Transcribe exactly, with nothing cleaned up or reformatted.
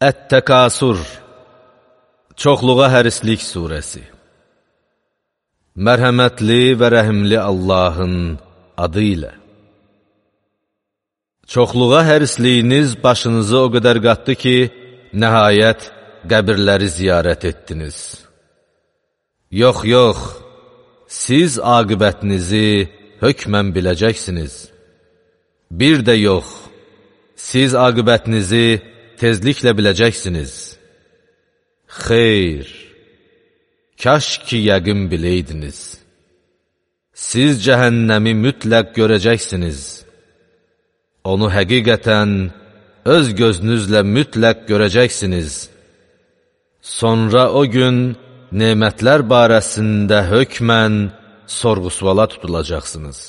Ət-Təkasur, Çoxluğa hərislik surəsi. Mərhəmətli və rəhimli Allahın adı ilə. Çoxluğa hərisliyiniz başınızı o qədər qatdı ki, nəhayət qəbirləri ziyarət etdiniz. Yox, yox, siz aqibətinizi hökmən biləcəksiniz. Bir də yox, siz aqibətinizi tezliklə biləcəksiniz. Xeyr, kaş ki yəqin biləydiniz. Siz cəhənnəmi mütləq görəcəksiniz. Onu həqiqətən öz gözünüzlə mütləq görəcəksiniz. Sonra o gün nemətlər barəsində hökmən sorğu-suala tutulacaqsınız.